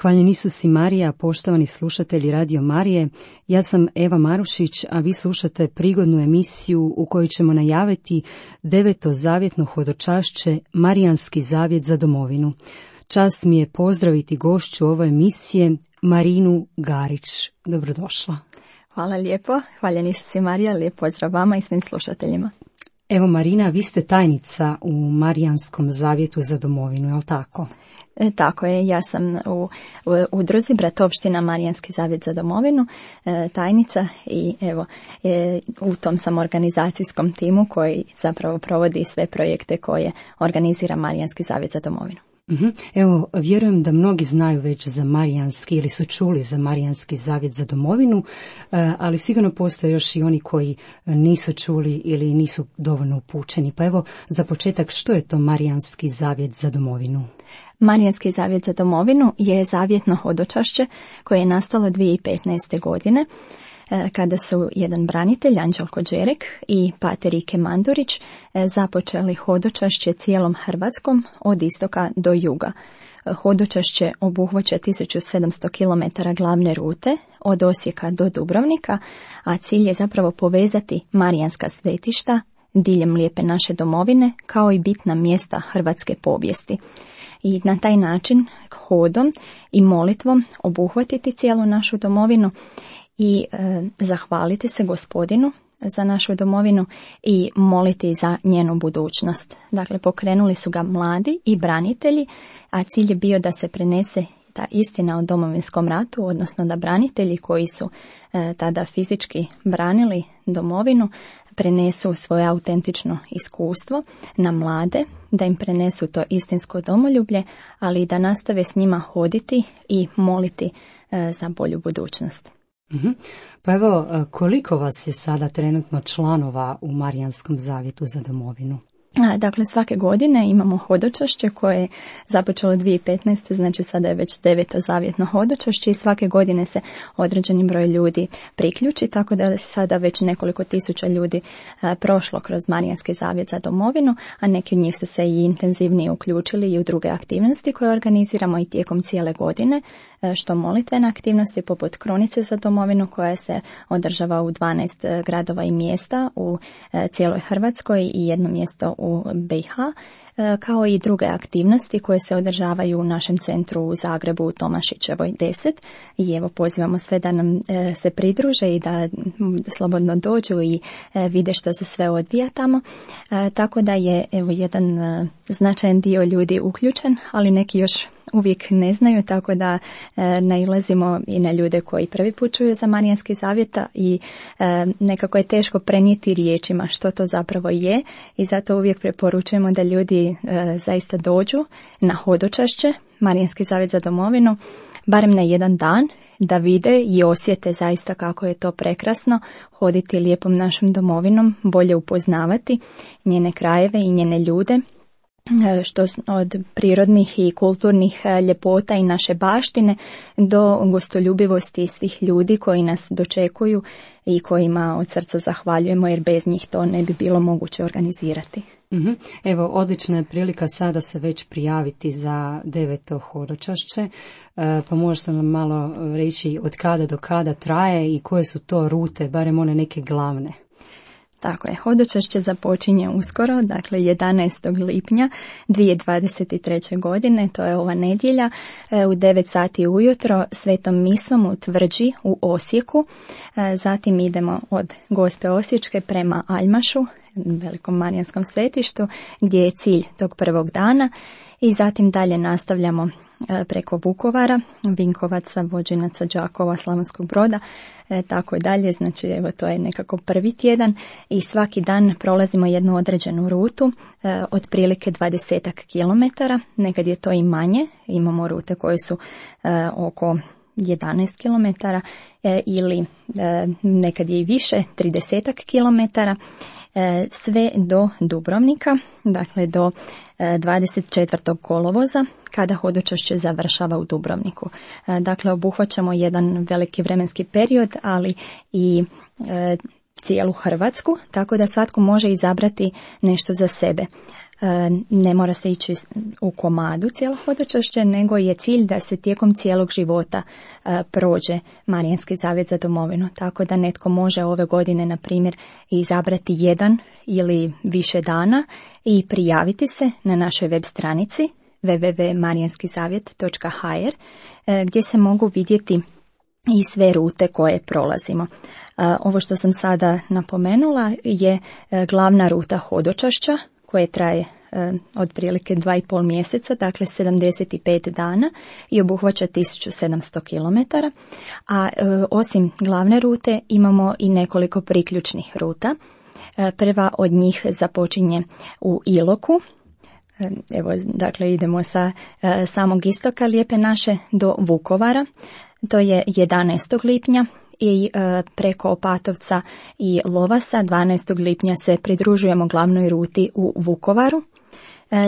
Hvaljen Isus i Marija, poštovani slušatelji Radio Marije, ja sam Eva Marušić, a vi slušate prigodnu emisiju u kojoj ćemo najaviti 9. zavjetno hodočašće Marijanski zavjet za domovinu. Čast mi je pozdraviti gošću ove emisije, Marinu Garić. Dobrodošla. Hvala lijepo, hvaljen Isus i Marija, lijep pozdrav vama i svim slušateljima. Evo Marina, vi ste tajnica u Marijanskom zavjetu za domovinu, je li tako? Tako je, ja sam u udruzi Bratovština Marijanski zavjet za domovinu, tajnica i evo u tom sam organizacijskom timu koji zapravo provodi sve projekte koje organizira Marijanski zavjet za domovinu. Evo, vjerujem da mnogi znaju već za Marijanski ili su čuli za Marijanski zavjet za domovinu, ali sigurno postoje još i oni koji nisu čuli ili nisu dovoljno upućeni. Pa evo, za početak, što je to Marijanski zavjet za domovinu? Marijanski zavjet za domovinu je zavjetno hodočašće koje je nastalo 2015. godine kada su jedan branitelj, Anđelko Đerek i pater Ike Mandurić započeli hodočašće cijelom Hrvatskom od istoka do juga. Hodočašće obuhvaća 1700 km glavne rute od Osijeka do Dubrovnika, a cilj je zapravo povezati marijanska svetišta diljem lijepe naše domovine kao i bitna mjesta hrvatske povijesti. I na taj način hodom i molitvom obuhvatiti cijelu našu domovinu i zahvaliti se Gospodinu za našu domovinu i moliti za njenu budućnost. Dakle, pokrenuli su ga mladi i branitelji, a cilj je bio da se prenese ta istina o Domovinskom ratu, odnosno da branitelji koji su tada fizički branili domovinu prenesu svoje autentično iskustvo na mlade, da im prenesu to istinsko domoljublje, ali i da nastave s njima hoditi i moliti za bolju budućnost. Pa evo, koliko vas je sada trenutno članova u Marijanskom zavjetu za domovinu? Dakle, svake godine imamo hodočašće koje je započelo 2015. Znači sada je već 9. zavjetno hodočašće i svake godine se određeni broj ljudi priključi, tako da je sada već nekoliko tisuća ljudi prošlo kroz Marijanski zavjet za domovinu, a neki od njih su se i intenzivnije uključili i u druge aktivnosti koje organiziramo i tijekom cijele godine, što molitvene aktivnosti poput Krunice za domovinu koja se održava u 12 gradova i mjesta u cijeloj Hrvatskoj i jedno mjesto u BiH, kao i druge aktivnosti koje se održavaju u našem centru u Zagrebu u Tomašićevoj 10. I evo pozivamo sve da nam se pridruže i da slobodno dođu i vide što se sve odvija tamo. Tako da je evo jedan značajan dio ljudi uključen, ali neki još uvijek ne znaju, tako da nailazimo i na ljude koji prvi put čuju za Marijanski zavjet i nekako je teško prenijeti riječima što to zapravo je i zato uvijek preporučujemo da ljudi zaista dođu na hodočašće Marijanski zavjet za domovinu, barem na jedan dan, da vide i osjete zaista kako je to prekrasno hoditi lijepom našom domovinom, bolje upoznavati njene krajeve i njene ljude, što od prirodnih i kulturnih ljepota i naše baštine do gostoljubivosti svih ljudi koji nas dočekuju i kojima od srca zahvaljujemo jer bez njih to ne bi bilo moguće organizirati. Evo, odlična je prilika sada se već prijaviti za 9. hodočašće, pa možete nam malo reći od kada do kada traje i koje su to rute, barem one neke glavne. Tako je, hodočašće započinje uskoro, dakle 11. lipnja 2023. godine, to je ova nedjelja, u 9 sati ujutro svetom misom u Tvrđi u Osijeku. Zatim idemo od Gospe Osječke prema Aljmašu, velikom marijanskom svetištu, gdje je cilj tog prvog dana i zatim dalje nastavljamo preko Vukovara, Vinkovaca, Vođinaca, Đakova, Slavonskog Broda, tako i dalje, znači evo to je nekako prvi tjedan i svaki dan prolazimo jednu određenu rutu, otprilike 20 kilometara, nekad je to i manje, imamo rute koje su oko 11 kilometara ili nekad je i više, 30 kilometara, sve do Dubrovnika, dakle do 24. kolovoza, kada hodočašće završava u Dubrovniku. Dakle, obuhvaćamo jedan veliki vremenski period, ali i cijelu Hrvatsku, tako da svatko može izabrati nešto za sebe. Ne mora se ići u komadu cijelo hodočašće, nego je cilj da se tijekom cijelog života prođe Marijanski zavjet za domovinu. Tako da netko može ove godine, na primjer, izabrati jedan ili više dana i prijaviti se na našoj web stranici www.marijanskizavjet.hr gdje se mogu vidjeti i sve rute koje prolazimo. Ovo što sam sada napomenula je glavna ruta hodočašća koje traje otprilike 2,5 mjeseca, dakle 75 dana i obuhvaća 1700 km. A osim glavne rute imamo i nekoliko priključnih ruta. Prva od njih započinje u Iloku. Evo, dakle, idemo sa samog istoka Lijepe naše do Vukovara. To je 11. lipnja i preko Opatovca i Lovasa 12. lipnja se pridružujemo glavnoj ruti u Vukovaru.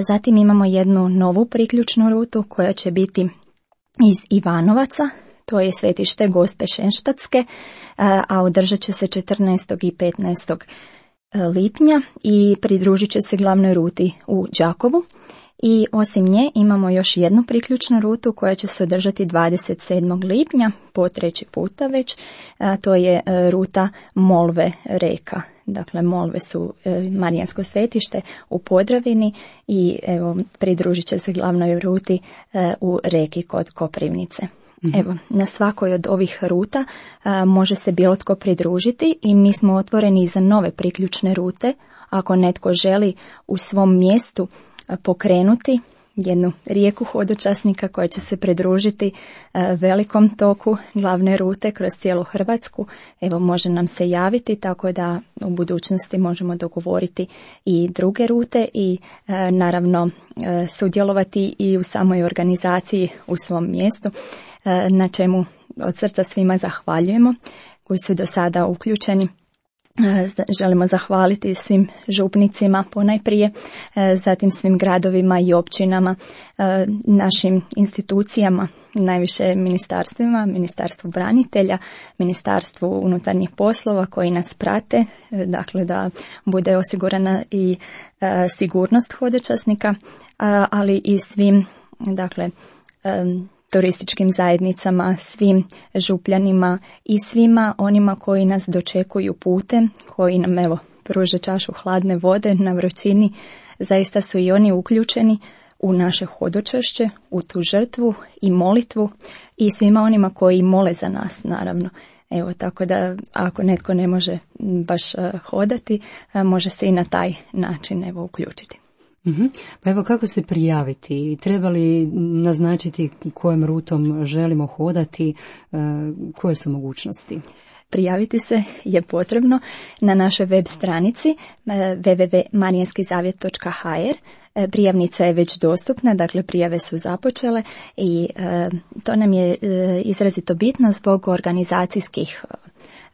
Zatim imamo jednu novu priključnu rutu koja će biti iz Ivanovaca, to je svetište Gospe Šenštatske, a održat će se 14. i 15. lipnja i pridružit će se glavnoj ruti u Đakovu. I osim nje imamo još jednu priključnu rutu koja će se održati 27. lipnja, po 3. puta već, to je ruta Molve Reka. Dakle, Molve su Marijansko svetište u Podravini i evo, pridružit će se glavnoj ruti u Reki kod Koprivnice. Evo, na svakoj od ovih ruta može se bilo tko pridružiti i mi smo otvoreni za nove priključne rute. Ako netko želi u svom mjestu pokrenuti jednu rijeku hodočasnika koja će se pridružiti velikom toku glavne rute kroz cijelu Hrvatsku, evo, može nam se javiti, tako da u budućnosti možemo dogovoriti i druge rute i naravno sudjelovati i u samoj organizaciji u svom mjestu, na čemu od srca svima zahvaljujemo koji su do sada uključeni. Želimo zahvaliti svim župnicima ponajprije, zatim svim gradovima i općinama, našim institucijama, najviše ministarstvima, Ministarstvu branitelja, Ministarstvu unutarnjih poslova koji nas prate, dakle da bude osigurana i sigurnost hodočasnika, ali i svim, dakle, turističkim zajednicama, svim župljanima i svima onima koji nas dočekuju putem, koji nam evo pruže čašu hladne vode na vrućini. Zaista su i oni uključeni u naše hodočašće, u tu žrtvu i molitvu i svima onima koji mole za nas, naravno. Evo, tako da ako netko ne može baš hodati, može se i na taj način evo uključiti. Pa evo, kako se prijaviti? Treba li naznačiti kojom rutom želimo hodati? Koje su mogućnosti? Prijaviti se je potrebno na našoj web stranici www.marijanskizavjet.hr. Prijavnica je već dostupna, dakle prijave su započele i to nam je izrazito bitno zbog organizacijskih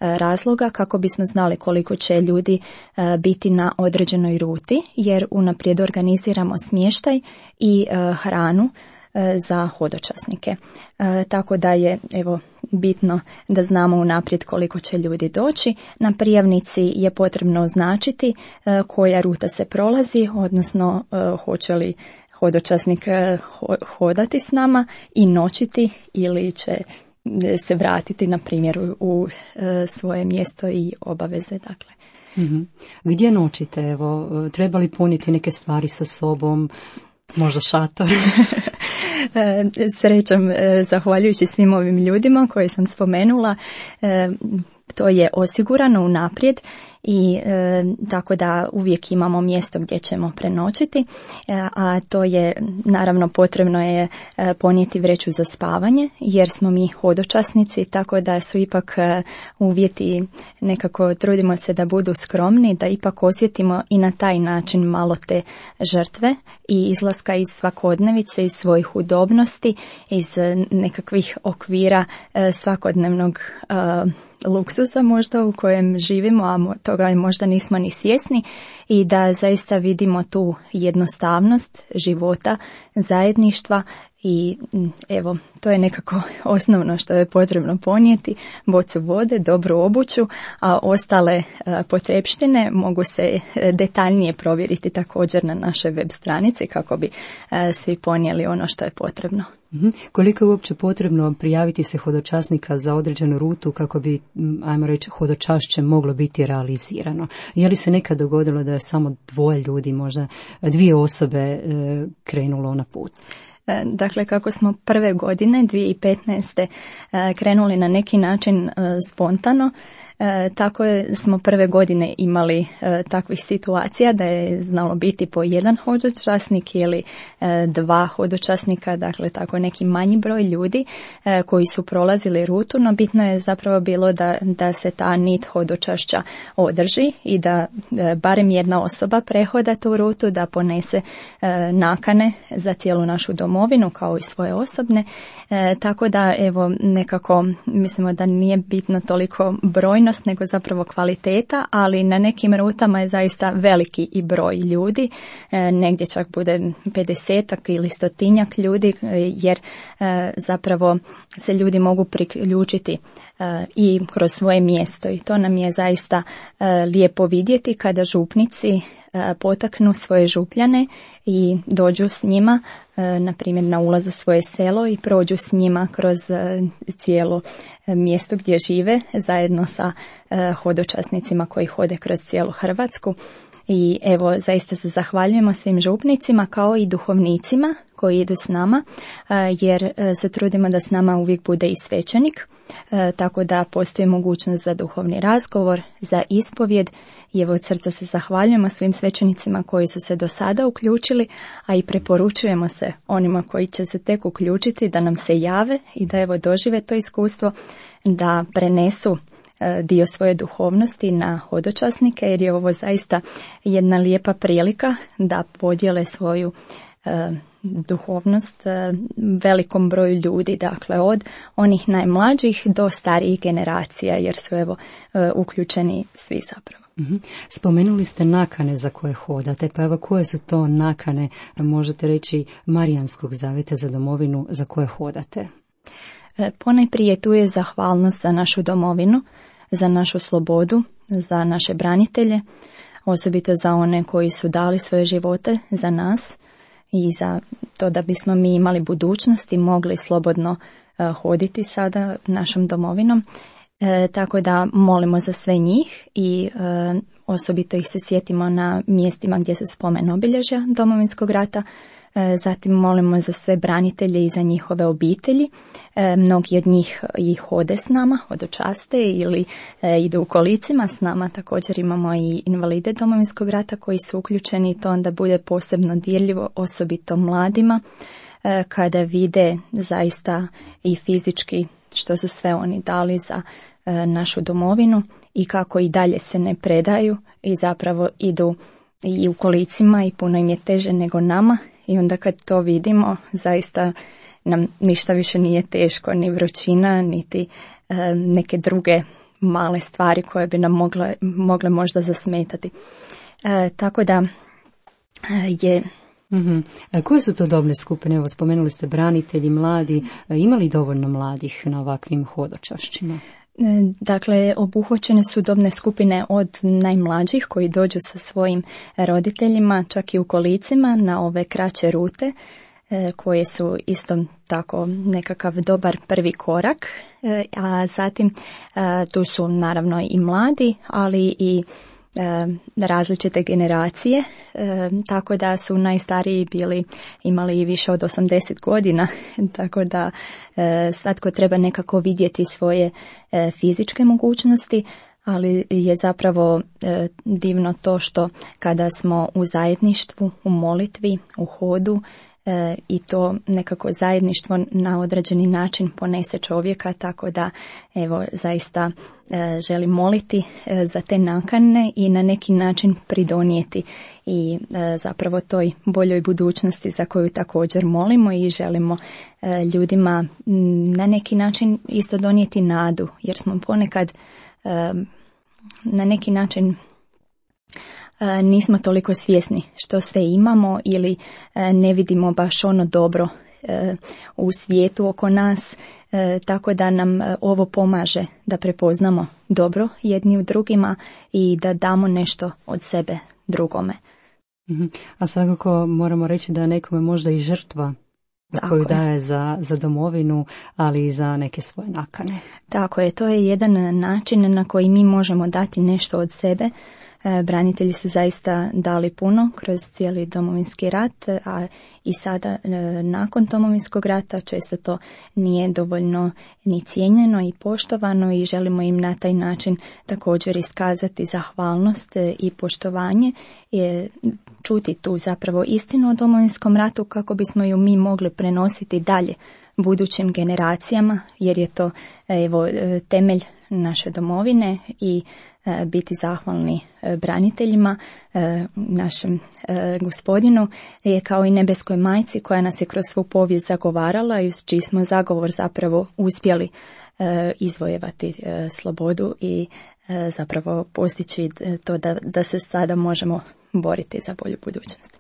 razloga kako bismo znali koliko će ljudi biti na određenoj ruti, jer unaprijed organiziramo smještaj i hranu za hodočasnike. Tako da je evo bitno da znamo unaprijed koliko će ljudi doći. Na prijavnici je potrebno označiti koja ruta se prolazi, odnosno hoće li hodočasnik hodati s nama i noćiti ili će se vratiti na primjer u svoje mjesto i obaveze, dakle. Gdje noćite? Evo, treba li ponijeti neke stvari sa sobom, možda šator? Srećom, zahvaljujući svim ovim ljudima koje sam spomenula, to je osigurano unaprijed i tako da uvijek imamo mjesto gdje ćemo prenoćiti, a to je naravno potrebno je ponijeti vreću za spavanje jer smo mi hodočasnici, tako da su ipak uvjeti, nekako trudimo se da budu skromni, da ipak osjetimo i na taj način malo te žrtve i izlaska iz svakodnevice, iz svojih udobnosti, iz nekakvih okvira svakodnevnog luksusa možda u kojem živimo, a toga možda nismo ni svjesni, i da zaista vidimo tu jednostavnost života, zajedništva i evo, to je nekako osnovno što je potrebno ponijeti, bocu vode, dobru obuću, a ostale potrepštine mogu se detaljnije provjeriti također na našoj web stranici kako bi svi ponijeli ono što je potrebno. Koliko je uopće potrebno prijaviti se hodočasnika za određenu rutu kako bi, ajmo reći, hodočašće moglo biti realizirano? Je li se nekad dogodilo da je samo 2 ljudi, možda 2 osobe krenulo na put? Dakle, kako smo prve godine 2015. krenuli na neki način spontano, tako smo prve godine imali takvih situacija da je znalo biti po 1 hodočasnik ili 2 hodočasnika, dakle tako neki manji broj ljudi koji su prolazili rutu, no bitno je zapravo bilo da se ta nit hodočašća održi i da barem 1 osoba prehoda tu rutu, da ponese nakane za cijelu našu domovinu kao i svoje osobne, tako da evo nekako mislimo da nije bitno toliko brojnost nego zapravo kvaliteta, ali na nekim rutama je zaista veliki i broj ljudi, negdje čak bude 50-ak ili 100-tinjak ljudi, jer zapravo se ljudi mogu priključiti i kroz svoje mjesto i to nam je zaista lijepo vidjeti kada župnici potaknu svoje župljane i dođu s njima, na primjer na ulaz u svoje selo i prođu s njima kroz cijelo mjesto gdje žive zajedno sa hodočasnicima koji hode kroz cijelu Hrvatsku. I evo, zaista se zahvaljujemo svim župnicima kao i duhovnicima koji idu s nama, jer se trudimo da s nama uvijek bude i svećenik, tako da postoji mogućnost za duhovni razgovor, za ispovjed. I evo, od srca se zahvaljujemo svim svećenicima koji su se do sada uključili, a i preporučujemo se onima koji će se tek uključiti da nam se jave i da evo dožive to iskustvo, da prenesu dio svoje duhovnosti na hodočasnike, jer je ovo zaista jedna lijepa prilika da podijele svoju duhovnost velikom broju ljudi, dakle od onih najmlađih do starijih generacija, jer su evo uključeni svi zapravo. Spomenuli ste nakane za koje hodate, pa evo koje su to nakane, možete reći, Marijanskog zavjeta za domovinu za koje hodate? Ponajprije tu je zahvalnost za našu domovinu, za našu slobodu, za naše branitelje, osobito za one koji su dali svoje živote za nas i za to da bismo mi imali budućnost i mogli slobodno hoditi sada našom domovinom. Tako da molimo za sve njih i osobito ih se sjetimo na mjestima gdje su spomen obilježja Domovinskog rata. Zatim molimo za sve branitelje i za njihove obitelji. Mnogi od njih i hode s nama, hodočaste ili idu u kolicima s nama. Također imamo i invalide Domovinskog rata koji su uključeni i to onda bude posebno dirljivo, osobito mladima, kada vide zaista i fizički što su sve oni dali za našu domovinu i kako i dalje se ne predaju i zapravo idu i u kolicima i puno im je teže nego nama. I onda kad to vidimo, zaista nam ništa više nije teško, ni vrućina, niti neke druge male stvari koje bi nam mogle možda zasmetati. Tako da je... Koje su to dobne skupine? Evo, spomenuli ste branitelji, mladi. Ima li dovoljno mladih na ovakvim hodočašćima? Dakle, obuhvaćene su dobne skupine od najmlađih koji dođu sa svojim roditeljima, čak i u kolicima na ove kraće rute, koje su isto tako nekakav dobar prvi korak, a zatim tu su naravno i mladi, ali i različite generacije, tako da su najstariji imali i više od 80 godina, tako da svatko treba nekako vidjeti svoje fizičke mogućnosti, ali je zapravo divno to što kada smo u zajedništvu, u molitvi, u hodu, i to nekako zajedništvo na određeni način ponese čovjeka, tako da evo zaista želim moliti za te nakane i na neki način pridonijeti i zapravo toj boljoj budućnosti za koju također molimo i želimo ljudima na neki način isto donijeti nadu, jer smo ponekad na neki način nismo toliko svjesni što sve imamo ili ne vidimo baš ono dobro u svijetu oko nas, tako da nam ovo pomaže da prepoznamo dobro jedni u drugima i da damo nešto od sebe drugome. A svakako moramo reći da nekome možda i žrtva koju daje za domovinu, ali i za neke svoje nakane. Tako je, to je jedan način na koji mi možemo dati nešto od sebe. Branitelji su zaista dali puno kroz cijeli Domovinski rat, a i sada nakon Domovinskog rata često to nije dovoljno ni cijenjeno i poštovano i želimo im na taj način također iskazati zahvalnost i poštovanje, čuti tu zapravo istinu o Domovinskom ratu kako bismo ju mi mogli prenositi dalje budućim generacijama, jer je to temelj naše domovine i biti zahvalni braniteljima, našem gospodinu, je kao i nebeskoj majci koja nas je kroz svu povijest zagovarala i uz čiji smo zagovor zapravo uspjeli izvojevati slobodu i zapravo postići to da se sada možemo boriti za bolju budućnost.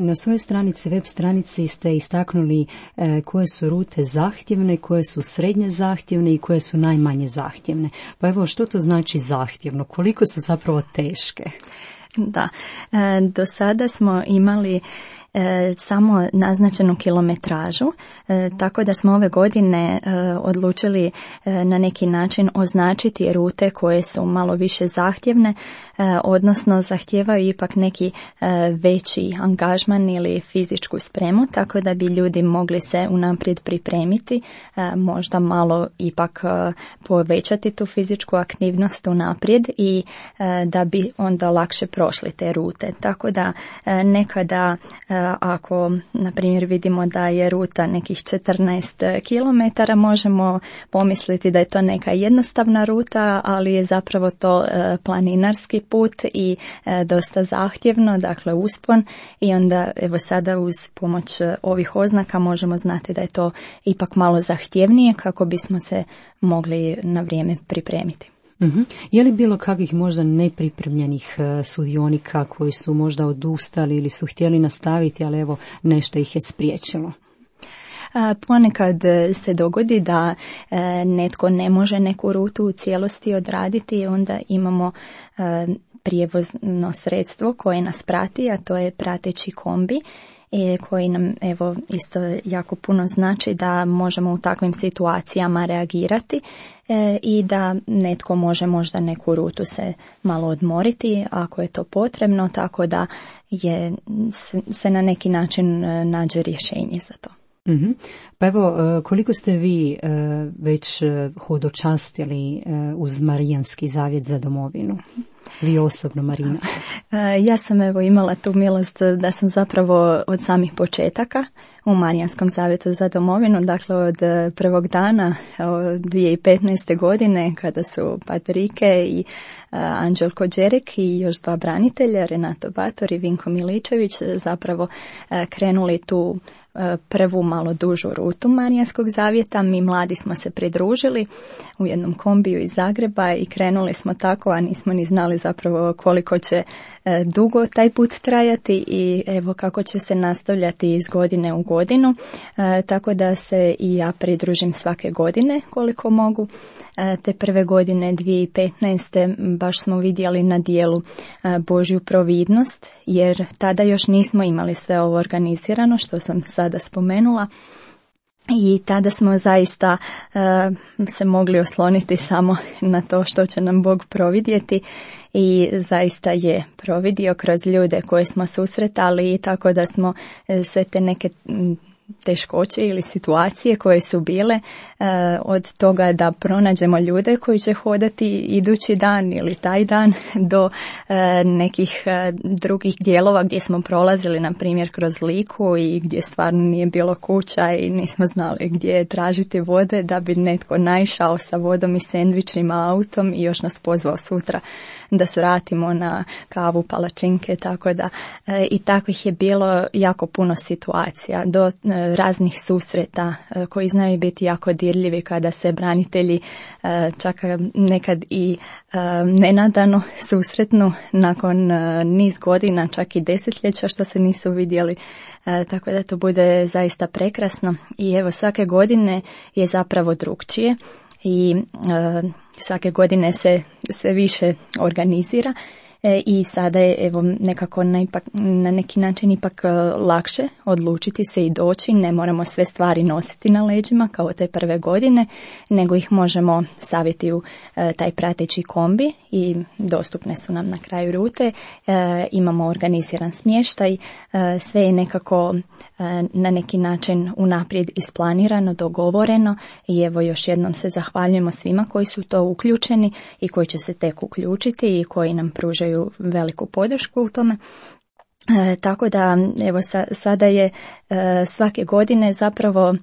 Na svojoj stranici, web stranici ste istaknuli koje su rute zahtjevne, koje su srednje zahtjevne i koje su najmanje zahtjevne. Pa evo, što to znači zahtjevno? Koliko su zapravo teške? Da, do sada smo imali samo naznačenu kilometražu, tako da smo ove godine odlučili na neki način označiti rute koje su malo više zahtjevne, odnosno zahtijevaju ipak neki veći angažman ili fizičku spremu, tako da bi ljudi mogli se unaprijed pripremiti, možda malo ipak povećati tu fizičku aktivnost unaprijed i da bi onda lakše prošli te rute. Tako da nekada ako, na primjer, vidimo da je ruta nekih 14 km, možemo pomisliti da je to neka jednostavna ruta, ali je zapravo to planinarski put i dosta zahtjevno, dakle uspon, i onda evo sada uz pomoć ovih oznaka možemo znati da je to ipak malo zahtjevnije kako bismo se mogli na vrijeme pripremiti. Je li bilo kakvih možda nepripremljenih sudionika koji su možda odustali ili su htjeli nastaviti, ali evo nešto ih je spriječilo? Ponekad se dogodi da netko ne može neku rutu u cijelosti odraditi i onda imamo prijevozno sredstvo koje nas prati, a to je prateći kombi, koji nam evo isto jako puno znači da možemo u takvim situacijama reagirati i da netko može možda neku rutu se malo odmoriti ako je to potrebno, tako da se na neki način nađe rješenje za to. Pa evo, koliko ste vi već hodočastili uz Marijanski zavjet za domovinu? Vi osobno, Marina. Ja sam evo imala tu milost da sam zapravo od samih početaka u Marijanskom zavjetu za domovinu, dakle od prvog dana 2015. godine kada su Patrike i Anđelko Đerek i još dva branitelja, Renato Bator i Vinko Miličević, zapravo krenuli tu prvu malo dužu rutu Marijanskog zavjeta. Mi mladi smo se pridružili u jednom kombiju iz Zagreba i krenuli smo tako, a nismo ni znali zapravo koliko će dugo taj put trajati i evo kako će se nastavljati iz godine u godinu, tako da se i ja pridružim svake godine koliko mogu. Te prve godine 2015. baš smo vidjeli na dijelu Božju providnost, jer tada još nismo imali sve ovo organizirano što sam sada spomenula. I tada smo zaista se mogli osloniti samo na to što će nam Bog providjeti i zaista je providio kroz ljude koje smo susretali i tako da smo sve te neke teškoće ili situacije koje su bile od toga da pronađemo ljude koji će hodati idući dan ili taj dan do nekih drugih dijelova gdje smo prolazili, na primjer kroz Liku i gdje stvarno nije bilo kuća i nismo znali gdje tražiti vode, da bi netko naišao sa vodom i sendvičima autom i još nas pozvao sutra da se vratimo na kavu, palačinke, tako da i takvih je bilo jako puno situacija do raznih susreta koji znaju biti jako dirljivi kada se branitelji čak nekad i nenadano susretnu nakon niz godina, čak i desetljeća što se nisu vidjeli, tako da to bude zaista prekrasno. I evo, svake godine je zapravo drukčije i svake godine se sve više organizira. I sada je evo nekako na neki način ipak lakše odlučiti se i doći, ne moramo sve stvari nositi na leđima kao te prve godine, nego ih možemo staviti u taj prateći kombi i dostupne su nam na kraju rute, imamo organiziran smještaj, sve je nekako na neki način unaprijed isplanirano, dogovoreno i evo još jednom se zahvaljujemo svima koji su to uključeni i koji će se tek uključiti i koji nam pružaju veliku podršku u tome. Tako da evo sada je svake godine zapravo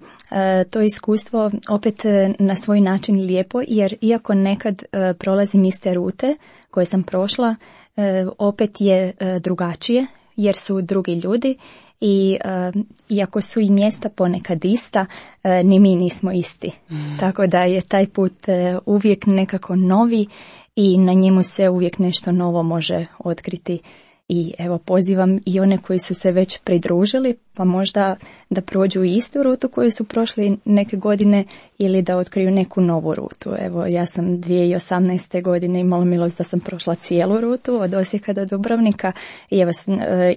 to iskustvo opet na svoj način lijepo, jer iako nekad prolazim iste rute koje sam prošla, opet je drugačije jer su drugi ljudi. I iako su i mjesta ponekad ista, ni mi nismo isti. Tako da je taj put uvijek nekako novi i na njemu se uvijek nešto novo može otkriti. I evo, pozivam i one koji su se već pridružili, pa možda da prođu istu rutu koju su prošli neke godine ili da otkriju neku novu rutu. Evo, ja sam 2018. godine imala milost da sam prošla cijelu rutu od Osijeka do Dubrovnika i evo,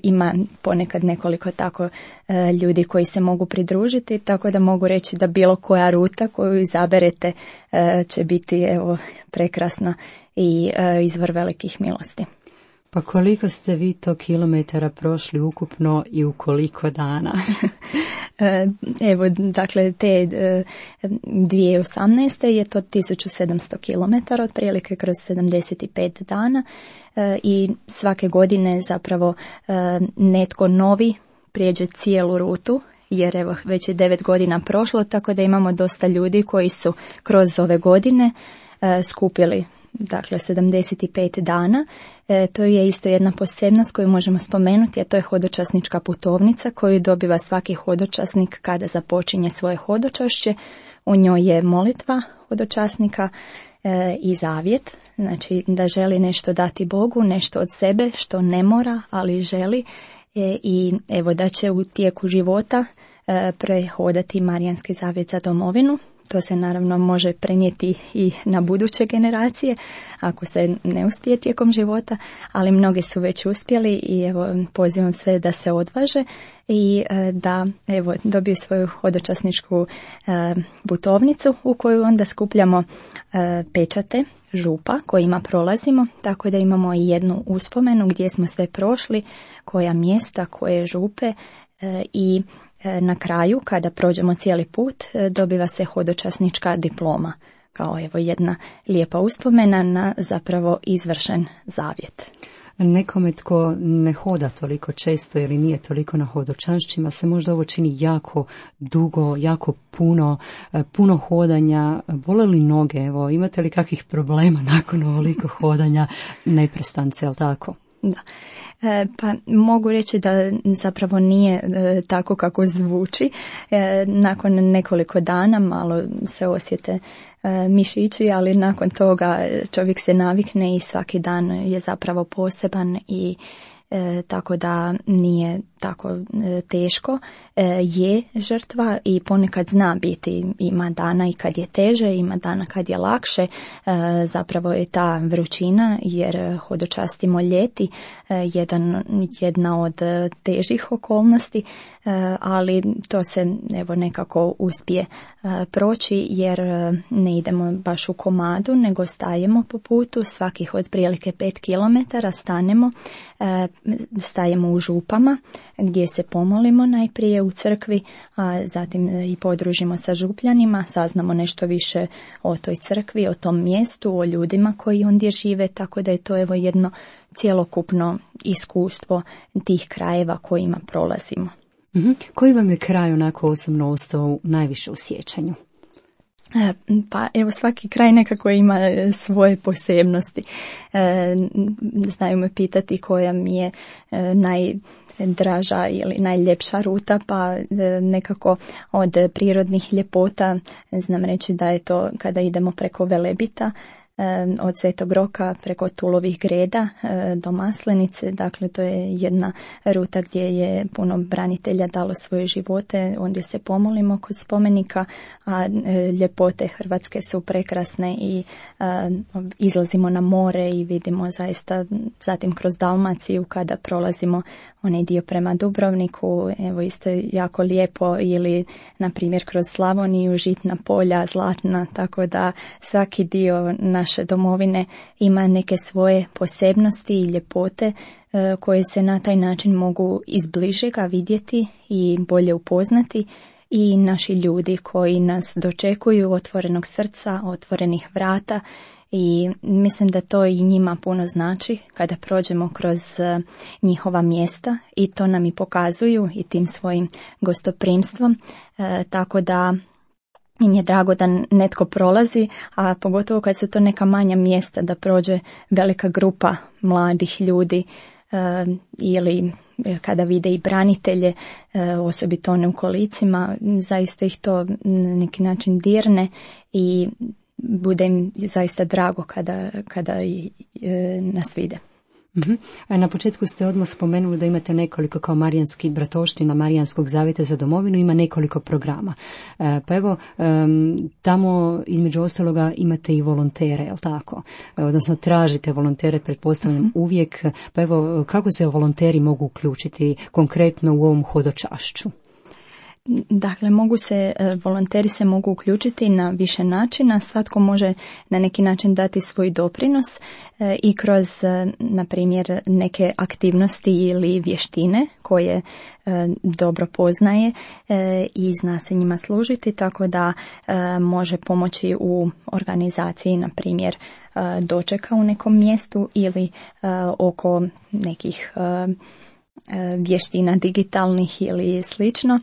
ima ponekad nekoliko tako ljudi koji se mogu pridružiti, tako da mogu reći da bilo koja ruta koju izaberete će biti evo prekrasna i izvor velikih milosti. Pa koliko ste vi to kilometara prošli ukupno i u koliko dana? Evo, dakle, te 2018. je to 1700 kilometara, otprilike kroz 75 dana i svake godine zapravo netko novi prijeđe cijelu rutu, jer evo već je 9 godina prošlo, tako da imamo dosta ljudi koji su kroz ove godine skupili dakle 75 dana. To je isto jedna posebnost koju možemo spomenuti, a to je hodočasnička putovnica koju dobiva svaki hodočasnik kada započinje svoje hodočašće. U njoj je molitva hodočasnika i zavjet, znači da želi nešto dati Bogu, nešto od sebe što ne mora, ali želi i evo da će u tijeku života prehodati Marijanski zavjet za domovinu. To se naravno može prenijeti i na buduće generacije ako se ne uspije tijekom života, ali mnogi su već uspjeli i evo pozivam sve da se odvaže i da evo dobiju svoju hodočasničku putovnicu u koju onda skupljamo pečate župa kojima prolazimo, tako da imamo i jednu uspomenu gdje smo sve prošli, koja mjesta, koje župe i na kraju, kada prođemo cijeli put, dobiva se hodočasnička diploma, kao evo jedna lijepa uspomena na zapravo izvršen zavjet. Nekome tko ne hoda toliko često ili nije toliko na hodočašćima se možda ovo čini jako dugo, jako puno hodanja. Bole li noge? Evo, imate li kakvih problema nakon ovoliko hodanja neprestance, jel tako? Da. Pa mogu reći da zapravo nije tako kako zvuči. Nakon nekoliko dana malo se osjete mišići, ali nakon toga čovjek se navikne i svaki dan je zapravo poseban i tako da nije tako teško. Je žrtva i ponekad zna biti, ima dana i kad je teže, ima dana kad je lakše, zapravo je ta vrućina jer hodočastimo ljeti jedna od težih okolnosti, ali to se evo nekako uspije proći jer ne idemo baš u komadu nego stajemo po putu, svakih otprilike 5 kilometara stajemo u župama gdje se pomolimo najprije u crkvi, a zatim i podružimo sa župljanima, saznamo nešto više o toj crkvi, o tom mjestu, o ljudima koji ondje žive, tako da je to evo jedno cjelokupno iskustvo tih krajeva kojima prolazimo. Koji vam je kraj onako osobno ostao najviše u sjećanju? Pa evo, svaki kraj nekako ima svoje posebnosti. Znaju me pitati koja mi je najdraža ili najljepša ruta, pa nekako od prirodnih ljepota znam reći da je to kada idemo preko Velebita, od Svetog Roka preko Tulovih Greda do Maslenice. Dakle, to je jedna ruta gdje je puno branitelja dalo svoje živote, ondje se pomolimo kod spomenika, a ljepote Hrvatske su prekrasne i izlazimo na more i vidimo zaista, zatim kroz Dalmaciju kada prolazimo onaj dio prema Dubrovniku, evo isto je jako lijepo, ili na primjer kroz Slavoniju, žitna polja, zlatna, tako da svaki dio naše domovine ima neke svoje posebnosti i ljepote koje se na taj način mogu izbližega vidjeti i bolje upoznati, i naši ljudi koji nas dočekuju otvorenog srca, otvorenih vrata, i mislim da to i njima puno znači kada prođemo kroz njihova mjesta, i to nam i pokazuju i tim svojim gostoprimstvom, tako da im je drago da netko prolazi, a pogotovo kad su to neka manja mjesta, da prođe velika grupa mladih ljudi ili kada vide i branitelje, osobito one u kolicima, zaista ih to na neki način dirne i bude im zaista drago kada nas vide. A na početku ste odmah spomenuli da imate nekoliko, kao Marijanski bratovština Marijanskog zavjeta za domovinu, ima nekoliko programa. Pa evo, tamo između ostaloga imate i volontere, je li tako? Odnosno tražite volontere, pretpostavljam, uvijek. Pa evo, kako se volonteri mogu uključiti konkretno u ovom hodočašću? Dakle, volonteri se mogu uključiti na više načina, svatko može na neki način dati svoj doprinos i kroz, na primjer, neke aktivnosti ili vještine koje dobro poznaje i zna se njima služiti, tako da može pomoći u organizaciji, na primjer, dočeka u nekom mjestu ili oko nekih vještina digitalnih ili slično,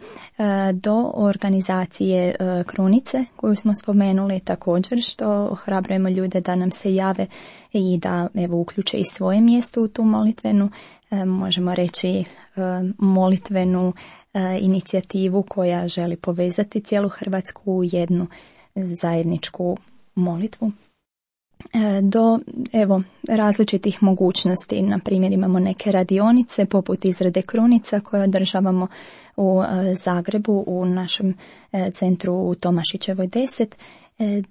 do organizacije krunice koju smo spomenuli također, što ohrabrujemo ljude da nam se jave i da evo uključe i svoje mjesto u tu molitvenu, možemo reći molitvenu inicijativu koja želi povezati cijelu Hrvatsku u jednu zajedničku molitvu. Do različitih mogućnosti, na primjer imamo neke radionice poput izrade krunica koje održavamo u Zagrebu u našem centru u Tomašićevoj 10,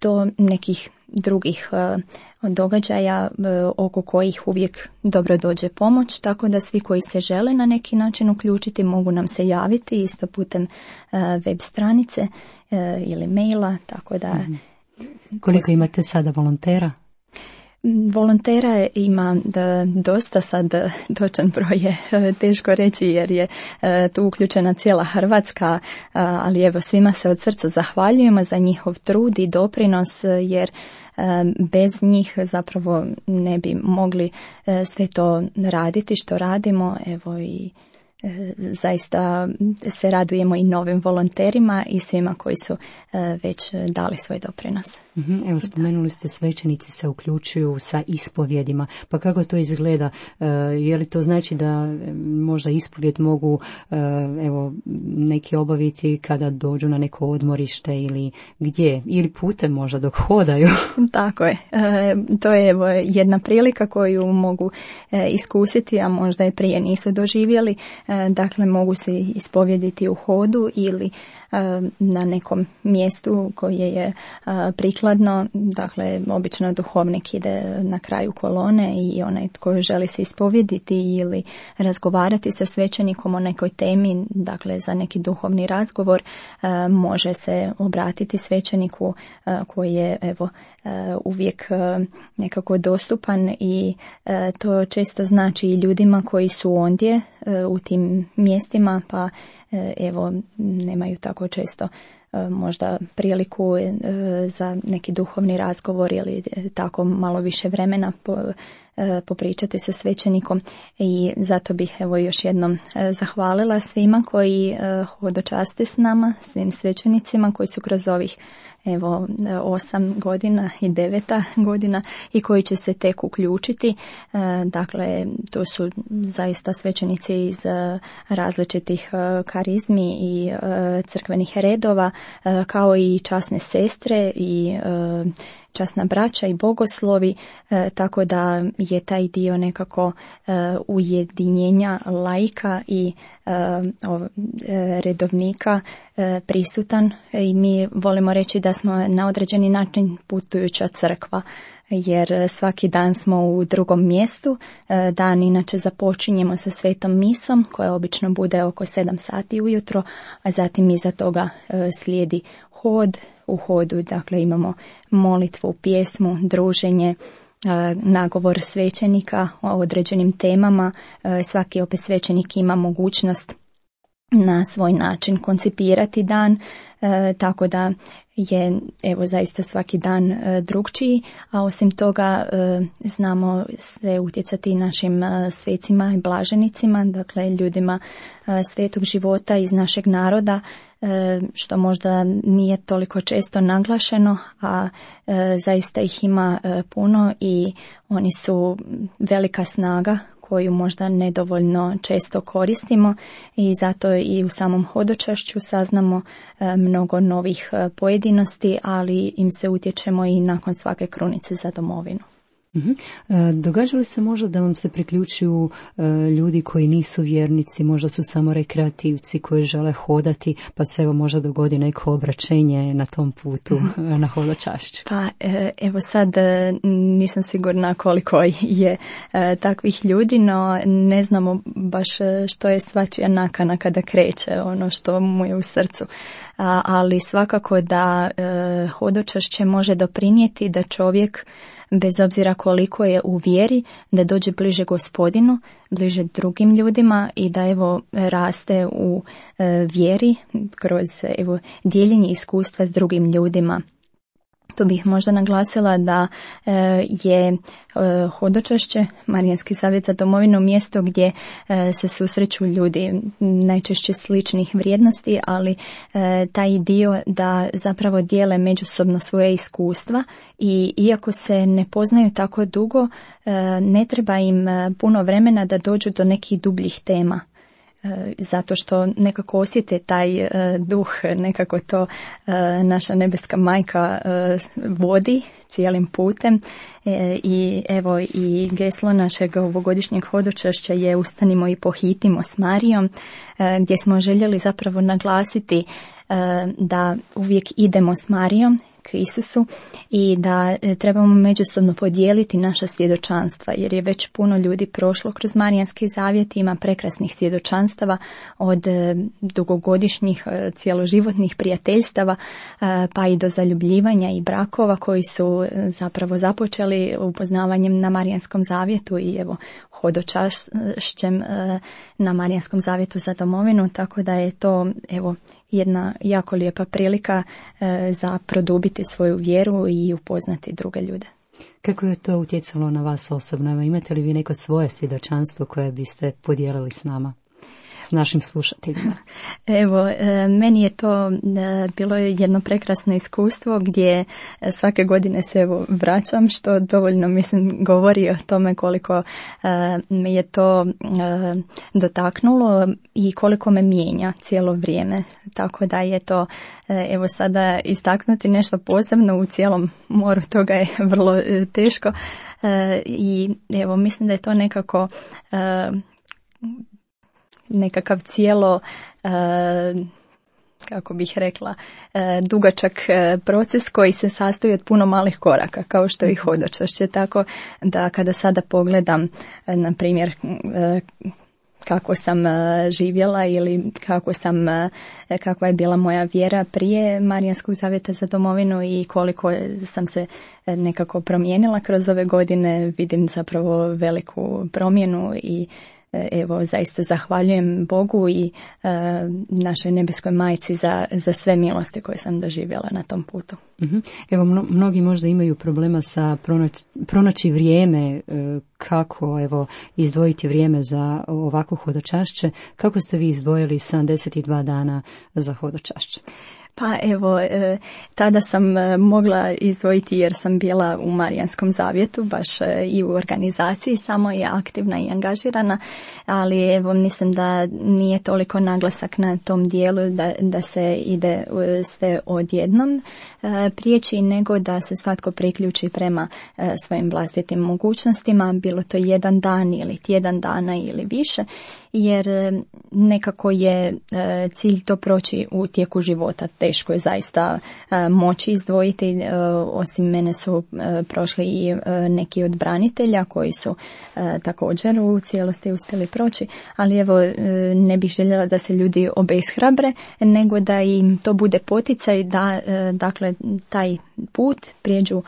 do nekih drugih događaja oko kojih uvijek dobro dođe pomoć, tako da svi koji se žele na neki način uključiti mogu nam se javiti isto putem web stranice ili maila, tako da... Koliko imate sada volontera? Volontera ima dosta, sad točan broj je teško reći jer je tu uključena cijela Hrvatska, ali evo svima se od srca zahvaljujemo za njihov trud i doprinos, jer bez njih zapravo ne bi mogli sve to raditi što radimo. Evo i zaista se radujemo i novim volonterima i svima koji su već dali svoj doprinos. Evo, spomenuli ste svećenici se uključuju sa ispovjedima, pa kako to izgleda? Je li to znači da možda ispovjed mogu neki obaviti kada dođu na neko odmorište ili gdje? Ili putem možda dok hodaju? Tako je. To je jedna prilika koju mogu iskusiti, a možda i prije nisu doživjeli. Dakle, mogu se ispovjediti u hodu ili na nekom mjestu koje je prikladno. Dakle, obično duhovnik ide na kraju kolone i onaj tko želi se ispovjediti ili razgovarati sa svećenikom o nekoj temi, dakle za neki duhovni razgovor, može se obratiti svećeniku koji je uvijek nekako dostupan, i to često znači i ljudima koji su ondje u tim mjestima, pa nemaju tako često možda priliku za neki duhovni razgovor ili tako malo više vremena popričati sa svećenikom i zato bih evo još jednom zahvalila svima koji hodočaste s nama, svim svećenicima koji su kroz ovih 8 godina i 9 godina i koji će se tek uključiti. Dakle, to su zaista svećenici iz različitih karizmi i crkvenih redova, kao i časne sestre i časna braća i bogoslovi, tako da je taj dio nekako ujedinjenja laika i redovnika prisutan i mi volimo reći da smo na određeni način putujuća crkva, jer svaki dan smo u drugom mjestu. Dan inače započinjemo sa svetom misom koja obično bude oko 7 sati ujutro, a zatim iza toga slijedi hod. U hodu dakle imamo molitvu, pjesmu, druženje, nagovor svećenika o određenim temama. Svaki opet svećenik ima mogućnost na svoj način koncipirati dan, tako da je zaista svaki dan drugčiji, a osim toga znamo se utjecati našim svecima i blaženicima, dakle ljudima svetog života iz našeg naroda, što možda nije toliko često naglašeno, a zaista ih ima puno i oni su velika snaga koju možda nedovoljno često koristimo i zato i u samom hodočašću saznamo mnogo novih pojedinosti, ali im se utječemo i nakon svake krunice za domovinu. Događa li se možda da vam se priključuju ljudi koji nisu vjernici, možda su samo rekreativci koji žele hodati, pa se možda dogodi neko obraćenje na tom putu na hodočašću? Pa sad nisam sigurna koliko je takvih ljudi, no ne znamo baš što je svačija nakana kada kreće, ono što mu je u srcu. Ali svakako da hodočašće može doprinijeti da čovjek, bez obzira koliko je u vjeri, da dođe bliže Gospodinu, bliže drugim ljudima i da raste u vjeri kroz dijeljenje iskustva s drugim ljudima. Tu bih možda naglasila da je hodočašće, Marijanski savjet za domovinu, mjesto gdje se susreću ljudi najčešće sličnih vrijednosti, ali taj dio da zapravo dijele međusobno svoje iskustva i iako se ne poznaju tako dugo, ne treba im puno vremena da dođu do nekih dubljih tema. Zato što nekako osjete taj duh, nekako to naša nebeska majka vodi cijelim putem i geslo našeg ovogodišnjeg hodočašća je Ustanimo i pohitimo s Marijom, gdje smo željeli zapravo naglasiti da uvijek idemo s Marijom k Isusu i da trebamo međusobno podijeliti naša svjedočanstva, jer je već puno ljudi prošlo kroz Marijanski zavjet, ima prekrasnih svjedočanstava od dugogodišnjih cjeloživotnih prijateljstava pa i do zaljubljivanja i brakova koji su zapravo započeli upoznavanjem na Marijanskom zavjetu i hodočašćem na Marijanskom zavjetu za domovinu, tako da je to jedna jako lijepa prilika za produbiti svoju vjeru i upoznati druge ljude. Kako je to utjecalo na vas osobno? Imate li vi neko svoje svjedočanstvo koje biste podijelili s nama, s našim slušateljima? Meni je to bilo jedno prekrasno iskustvo gdje svake godine se vraćam, što dovoljno govori o tome koliko me je to dotaknulo i koliko me mijenja cijelo vrijeme. Tako da je to sada istaknuti nešto posebno u cijelom moru, toga je vrlo teško i mislim da je to nekako nekakav cijelo, kako bih rekla, dugačak proces koji se sastoji od puno malih koraka, kao što i hodočašće. Tako da kada sada pogledam, na primjer, kako sam živjela ili kakva je bila moja vjera prije Marijanskog zavjeta za domovinu i koliko sam se nekako promijenila kroz ove godine, vidim zapravo veliku promjenu i zaista zahvaljujem Bogu i našoj nebeskoj majci za sve milosti koje sam doživjela na tom putu. Evo, mnogi možda imaju problema sa pronaći vrijeme, kako izdvojiti vrijeme za ovako hodočašće. Kako ste vi izdvojili 72 dana za hodočašće? Pa evo, tada sam mogla izdvojiti jer sam bila u Marijanskom zavjetu, baš i u organizaciji, samo je aktivna i angažirana, ali evo mislim da nije toliko naglasak na tom dijelu da se ide sve odjednom prijeći, nego da se svatko priključi prema svojim vlastitim mogućnostima, bilo to jedan dan ili tjedan dana ili više, jer nekako je cilj to proći u tijeku života. Teško je zaista moći izdvojiti. Osim mene su prošli i neki od branitelja koji su također u cijelosti uspjeli proći, ali evo ne bih željela da se ljudi obeshrabre, nego da im to bude poticaj da dakle taj put prijeđu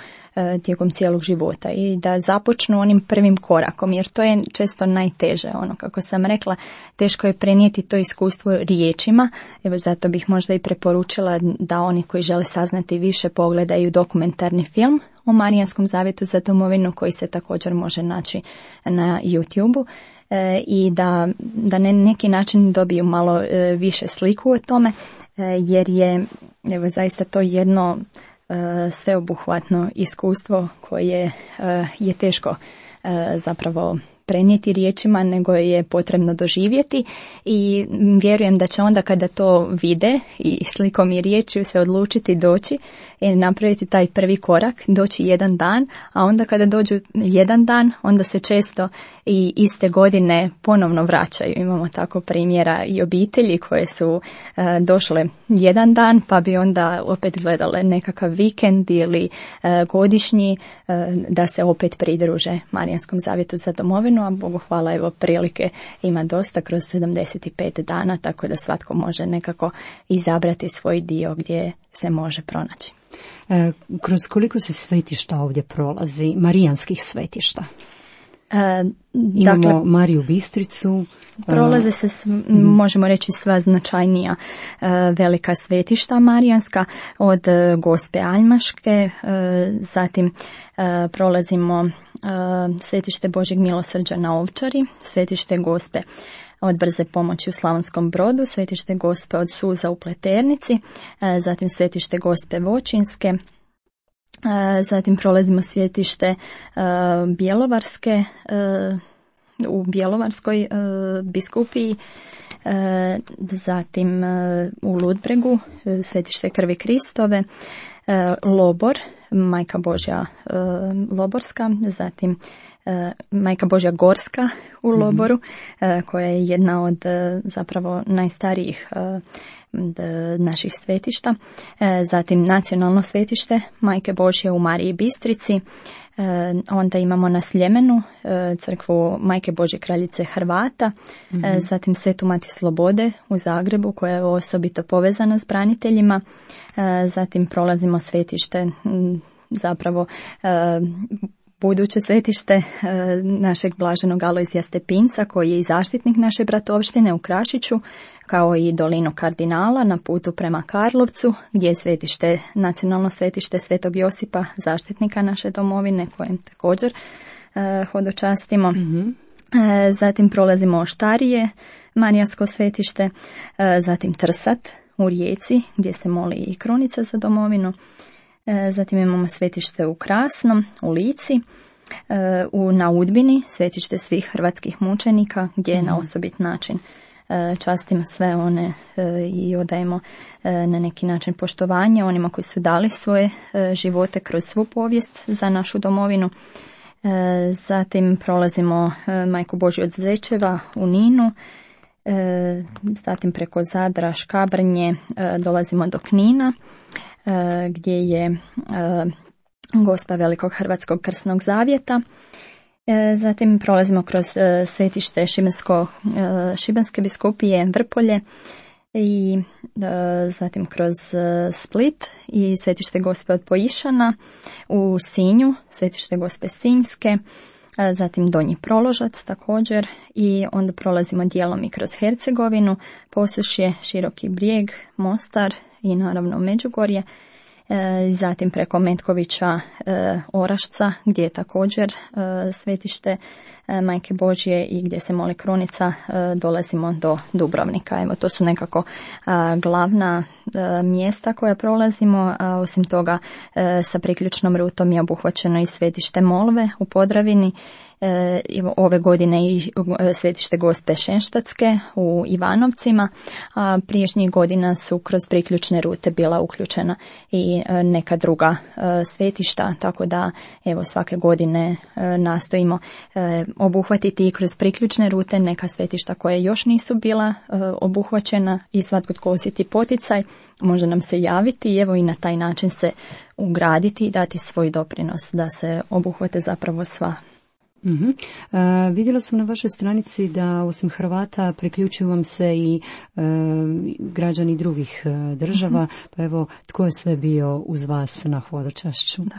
tijekom cijelog života i da započnu onim prvim korakom, jer to je često najteže. Kako sam rekla, teško je prenijeti to iskustvo riječima. Evo zato bih možda i preporučila da oni koji žele saznati više pogledaju dokumentarni film o Marijanskom zavjetu za domovinu koji se također može naći na YouTube-u i da na neki način dobiju malo više sliku o tome, jer je evo zaista to jedno sveobuhvatno iskustvo koje je teško zapravo prenijeti riječima, nego je potrebno doživjeti i vjerujem da će onda kada to vide i slikom i riječju se odlučiti doći i napraviti taj prvi korak, doći jedan dan, a onda kada dođu jedan dan, onda se često i iste godine ponovno vraćaju. Imamo tako primjera i obitelji koje su došle jedan dan, pa bi onda opet gledale nekakav vikend ili godišnji da se opet pridruže Marijanskom zavjetu za domovinu, a Bogu hvala, evo prilike ima dosta kroz 75 dana, tako da svatko može nekako izabrati svoj dio gdje se može pronaći. Kroz koliko se svetišta ovdje prolazi, marijanskih svetišta? Imamo Mariju Bistricu. Prolaze se, možemo reći, sva značajnija velika svetišta marijanska, od Gospe Aljmaške, zatim prolazimo svetište Božjeg milosrđa na Ovčari, svetište Gospe od Brze pomoći u Slavonskom Brodu, svetište Gospe od Suza u Pleternici, zatim svetište Gospe Voćinske, zatim prolazimo svetište Bjelovarske u Bjelovarskoj biskupiji, zatim u Ludbregu svetište Krvi Kristove, Lobor, Majka Božja Loborska, zatim Majka Božja Gorska u Loboru, koja je jedna od zapravo najstarijih naših svetišta, zatim nacionalno svetište Majke Božje u Mariji Bistrici, onda imamo na Sljemenu crkvu Majke Božje kraljice Hrvata, zatim Svetu Mati Slobode u Zagrebu koja je osobito povezana s braniteljima, zatim prolazimo svetište zapravo buduće svetište našeg blaženog Alojzija Stepinca koji je i zaštitnik naše bratovštine u Krašiću, kao i dolinu Kardinala na putu prema Karlovcu gdje je svetište, nacionalno svetište Svetog Josipa, zaštitnika naše domovine, kojem također hodočastimo. Zatim prolazimo Oštarije, Marijansko svetište, zatim Trsat u Rijeci gdje se moli i krunica za domovinu. Zatim imamo svetište u Krasnom, u Lici, na Udbini, svetište svih hrvatskih mučenika gdje je na osobit način častimo sve one i odajemo na neki način poštovanje onima koji su dali svoje živote kroz svu povijest za našu domovinu. Zatim prolazimo Majku Božju od Zečeva u Ninu, zatim preko Zadra, Škabrnje dolazimo do Knina gdje je Gospa Velikog Hrvatskog krsnog zavjeta. Zatim prolazimo kroz svetište Šibenske biskupije Vrpolje i zatim kroz Split i svetište Gospe od Pojišana u Sinju, svetište Gospe Sinjske, zatim Donji Proložac također i onda prolazimo dijelom i kroz Hercegovinu, Posušje, Široki Brijeg, Mostar i naravno Međugorje zatim preko Metkovića, Orašca gdje je također svetište Majke Božje i gdje se moli krunica, dolazimo do Dubrovnika. Evo, to su nekako glavna mjesta koja prolazimo, a osim toga sa priključnom rutom je obuhvaćeno i svetište Molve u Podravini, ove godine i svetište Gospe Šenštatske u Ivanovcima, a prijašnjih godina su kroz priključne rute bila uključena i neka druga svetišta, tako da evo svake godine nastojimo obuhvatiti i kroz priključne rute neka svetišta koje još nisu bila obuhvaćena i svatko tko osjeti poticaj može nam se javiti i evo i na taj način se ugraditi i dati svoj doprinos da se obuhvate zapravo sva. Vidjela sam na vašoj stranici da osim Hrvata priključuju vam se i građani drugih država, pa evo tko je sve bio uz vas na hodočašću? Da.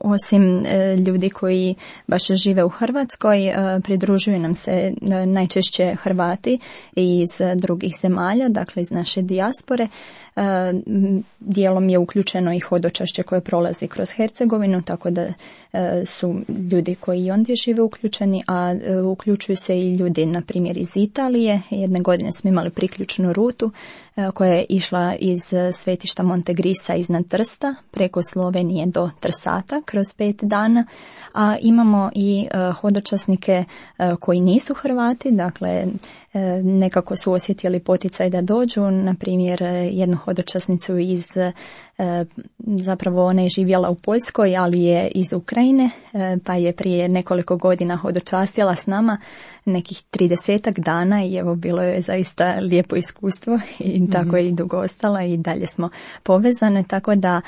Osim ljudi koji baš žive u Hrvatskoj, pridružuju nam se najčešće Hrvati iz drugih zemalja, dakle iz naše dijaspore. Dijelom je uključeno i hodočašće koje prolazi kroz Hercegovinu, tako da su ljudi koji ondje žive uključeni, a uključuju se i ljudi, na primjer, iz Italije. Jedne godine smo imali priključnu rutu koja je išla iz svetišta Montegrisa iznad Trsta preko Slovenije do Trsata kroz 5 dana, a imamo i hodočasnike koji nisu Hrvati, dakle nekako su osjetili poticaj da dođu, na primjer jednu hodočasnicu iz, zapravo ona je živjela u Poljskoj, ali je iz Ukrajine, pa je prije nekoliko godina hodočastila s nama nekih 30 dana i evo bilo je zaista lijepo iskustvo i tako je i dugo ostala i dalje smo povezane, tako da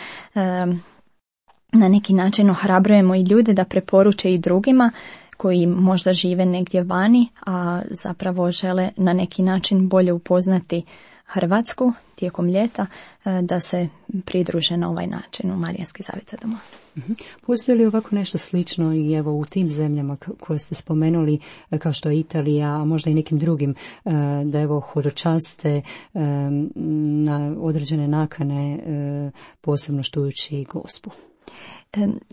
na neki način ohrabrujemo i ljude da preporuče i drugima koji možda žive negdje vani, a zapravo žele na neki način bolje upoznati Hrvatsku tijekom ljeta, da se pridruže na ovaj način u Marijanski zavjet za domovinu. Postoji li ovako nešto slično i evo u tim zemljama koje ste spomenuli, kao što je Italija, a možda i nekim drugim, da evo hodočaste na određene nakane, posebno štujući Gospu?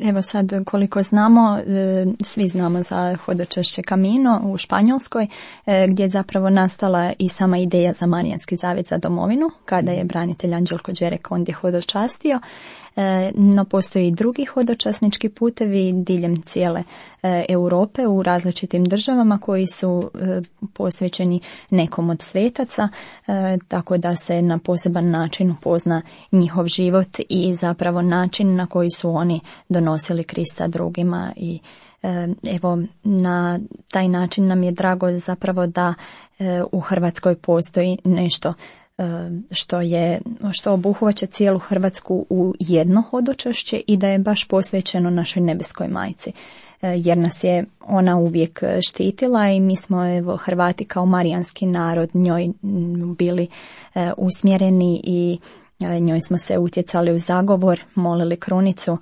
Evo sad koliko znamo, svi znamo za hodočašće Camino u Španjolskoj, gdje je zapravo nastala i sama ideja za Marijanski zavjet za domovinu, kada je branitelj Anđelko Đerek ondje hodočastio. No postoji i drugi hodočasnički putevi diljem cijele Europe u različitim državama koji su posvećeni nekom od svetaca, tako da se na poseban način upozna njihov život i zapravo način na koji su oni donosili Krista drugima i evo na taj način nam je drago zapravo da u Hrvatskoj postoji nešto što obuhvaća cijelu Hrvatsku u jedno hodočašće i da je baš posvećeno našoj nebeskoj majci, jer nas je ona uvijek štitila i mi smo evo Hrvati kao marijanski narod njoj bili usmjereni i njoj smo se utjecali u zagovor, molili krunicu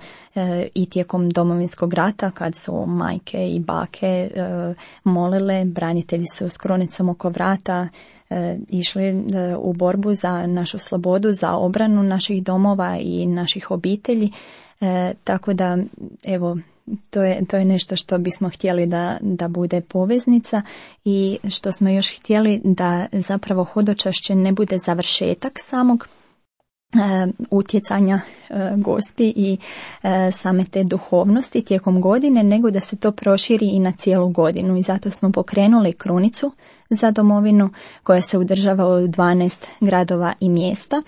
i tijekom Domovinskog rata kad su majke i bake molile, branitelji su s krunicom oko vrata išli u borbu za našu slobodu, za obranu naših domova i naših obitelji, tako da evo to je nešto što bismo htjeli da bude poveznica i što smo još htjeli da zapravo hodočašće ne bude završetak samog utjecanja Gospi i same te duhovnosti tijekom godine, nego da se to proširi i na cijelu godinu i zato smo pokrenuli krunicu za domovinu koja se održava u 12 gradova i mjesta.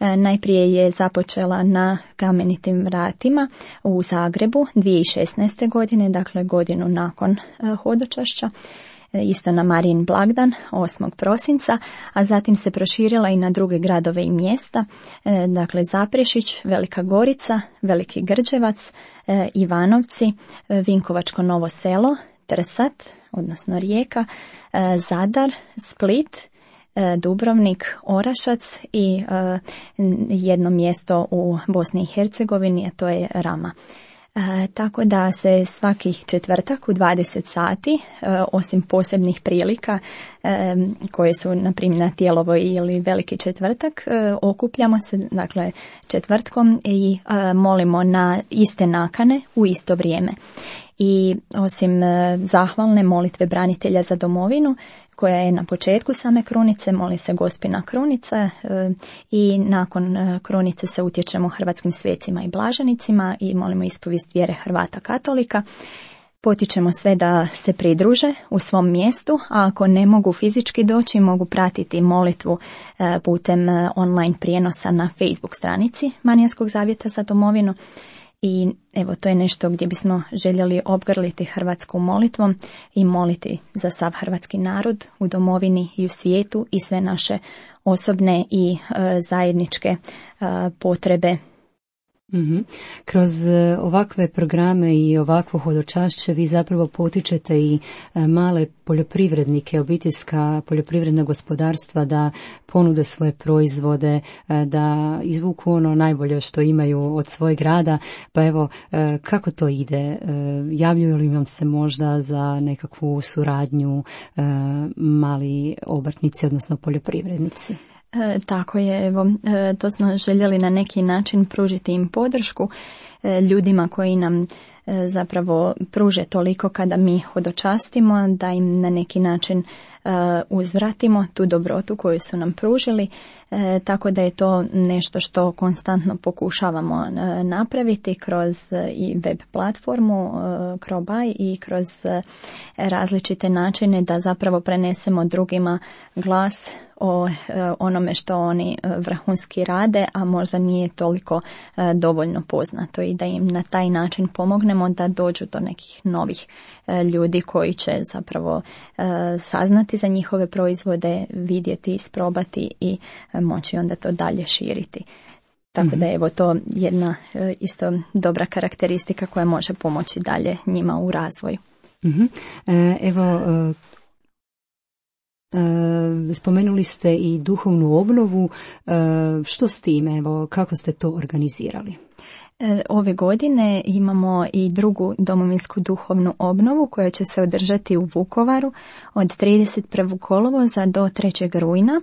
Najprije je započela na Kamenitim vratima u Zagrebu 2016. godine, dakle godinu nakon hodočašća, isto na Marijin blagdan 8. prosinca, a zatim se proširila i na druge gradove i mjesta, dakle Zaprešić, Velika Gorica, Veliki Grđevac, Ivanovci, Vinkovačko Novo Selo, Trsat, odnosno Rijeka, Zadar, Split, Dubrovnik, Orašac i jedno mjesto u Bosni i Hercegovini, a to je Rama. Tako da se svaki četvrtak u 20 sati, osim posebnih prilika koje su na primjer na Tijelovoj ili Veliki četvrtak, okupljamo se dakle četvrtkom i molimo na iste nakane u isto vrijeme. I osim zahvalne molitve branitelja za domovinu, koja je na početku same krunice, moli se Gospina krunica i nakon krunice se utječemo hrvatskim svecima i blaženicima i molimo ispovijest vjere Hrvata katolika. Potičemo sve da se pridruže u svom mjestu, a ako ne mogu fizički doći, mogu pratiti molitvu putem online prijenosa na Facebook stranici Marijanskog zavjeta za domovinu. I evo, to je nešto gdje bismo željeli obgrliti hrvatsku molitvom i moliti za sav hrvatski narod u domovini i u svijetu i sve naše osobne i zajedničke potrebe. Mm-hmm. Kroz ovakve programe i ovakvo hodočašće vi zapravo potičete i male poljoprivrednike, obiteljska poljoprivredna gospodarstva da ponude svoje proizvode, da izvuku ono najbolje što imaju od svojeg rada. Pa evo, kako to ide? Javljaju li vam se možda za nekakvu suradnju mali obrtnici, odnosno poljoprivrednici? Tako je, evo, to smo željeli na neki način pružiti im podršku ljudima koji nam zapravo pruže toliko kada mi hodočastimo, da im na neki način uzvratimo tu dobrotu koju su nam pružili, tako da je to nešto što konstantno pokušavamo napraviti kroz i web platformu Crobaj i kroz različite načine da zapravo prenesemo drugima glas o onome što oni vrhunski rade, a možda nije toliko dovoljno poznato i da im na taj način pomognemo da dođu do nekih novih ljudi koji će zapravo saznati za njihove proizvode, vidjeti, isprobati i moći onda to dalje širiti. Tako da je evo to jedna isto dobra karakteristika koja može pomoći dalje njima u razvoju. Evo, spomenuli ste i duhovnu obnovu. Što s time? Evo, kako ste to organizirali? Ove godine imamo i drugu domovinsku duhovnu obnovu koja će se održati u Vukovaru od 31. kolovoza do 3. rujna,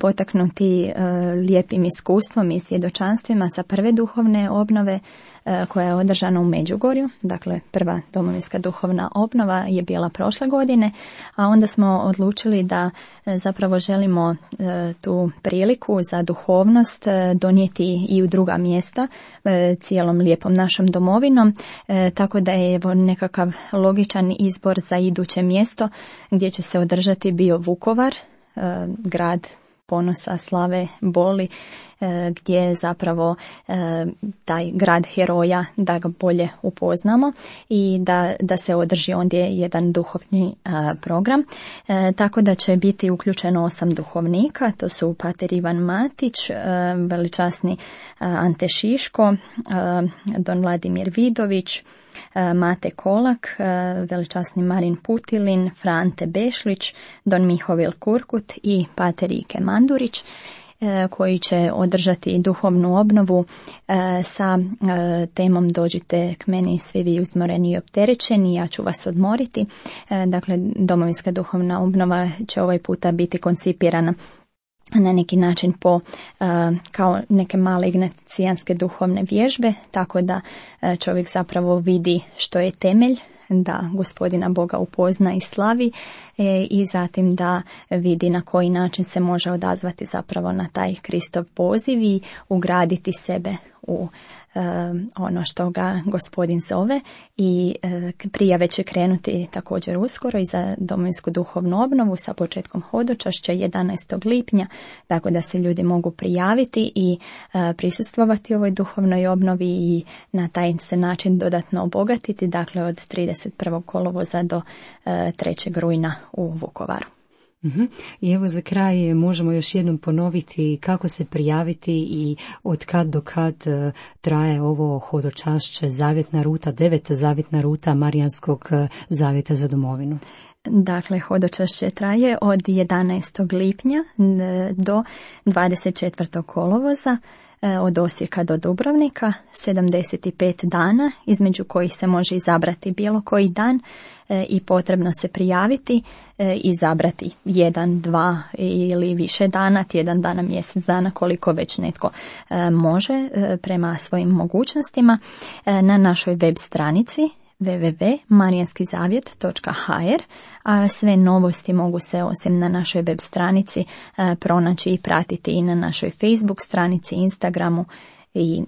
potaknuti lijepim iskustvom i svjedočanstvima sa prve duhovne obnove koja je održana u Međugorju. Dakle, prva domovinska duhovna obnova je bila prošle godine, a onda smo odlučili da zapravo želimo tu priliku za duhovnost donijeti i u druga mjesta cijelom lijepom našom domovinom, tako da je evo nekakav logičan izbor za iduće mjesto gdje će se održati bio Vukovar, grad ponosa, slave, boli, gdje je zapravo taj grad heroja, da ga bolje upoznamo i da se održi ondje jedan duhovni program. Tako da će biti uključeno 8 duhovnika, to su pater Ivan Matić, veličasni Ante Šiško, don Vladimir Vidović, Mate Kolak, veličasni Marin Putilin, Frante Bešlić, don Mihovil Kurkut i pater Ike Mandurić, koji će održati duhovnu obnovu sa temom Dođite k meni svi vi uzmoreni i opterećeni, ja ću vas odmoriti. Dakle, domovinska duhovna obnova će ovaj puta biti koncipirana na neki način kao neke male ignatijanske duhovne vježbe, tako da čovjek zapravo vidi što je temelj, da Gospodina Boga upozna i slavi i zatim da vidi na koji način se može odazvati zapravo na taj Kristov poziv i ugraditi sebe u ono što ga Gospodin zove. I prijave će krenuti također uskoro i za domovinsku duhovnu obnovu sa početkom hodočašća 11. lipnja, tako da se ljudi mogu prijaviti i prisustvovati ovoj duhovnoj obnovi i na taj se način dodatno obogatiti, dakle od 31. kolovoza do 3. rujna u Vukovaru. I evo za kraj možemo još jednom ponoviti kako se prijaviti i od kad do kad traje ovo hodočašće, zavjetna ruta, 9. zavjetna ruta Marijanskog zavjeta za domovinu. Dakle, hodočašće traje od 11. lipnja do 24. kolovoza, od Osijeka do Dubrovnika, 75 dana, između kojih se može izabrati bilo koji dan i potrebno se prijaviti, izabrati 1, 2 ili više dana, tjedan dana, mjesec dana, koliko već netko može prema svojim mogućnostima, na našoj web stranici www.marijanskizavjet.hr, a sve novosti mogu se osim na našoj web stranici pronaći i pratiti i na našoj Facebook stranici, Instagramu. I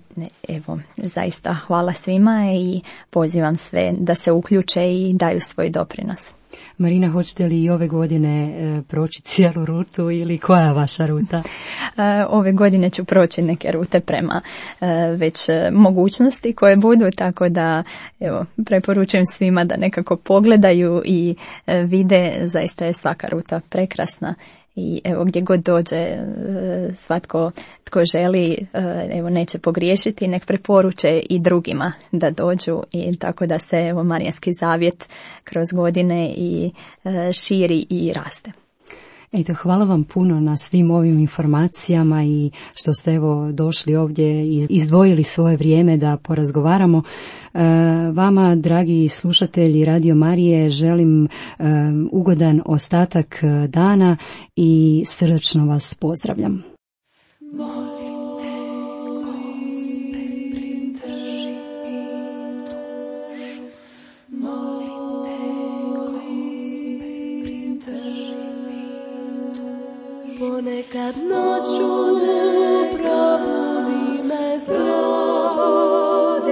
evo, zaista hvala svima i pozivam sve da se uključe i daju svoj doprinos. Marina, hoćete li i ove godine proći cijelu rutu ili koja je vaša ruta? Ove godine ću proći neke rute prema već mogućnosti koje budu, tako da evo, preporučujem svima da nekako pogledaju i vide, zaista je svaka ruta prekrasna. I evo, gdje god dođe, svatko tko želi, evo, neće pogriješiti, nek preporuče i drugima da dođu, i tako da se evo Marijanski zavjet kroz godine i širi i raste. Eto, hvala vam puno na svim ovim informacijama i što ste evo došli ovdje i izdvojili svoje vrijeme da porazgovaramo. Vama, dragi slušatelji Radio Marije, želim ugodan ostatak dana i srdačno vas pozdravljam. Ponekad noću ne probudi me zbrodi,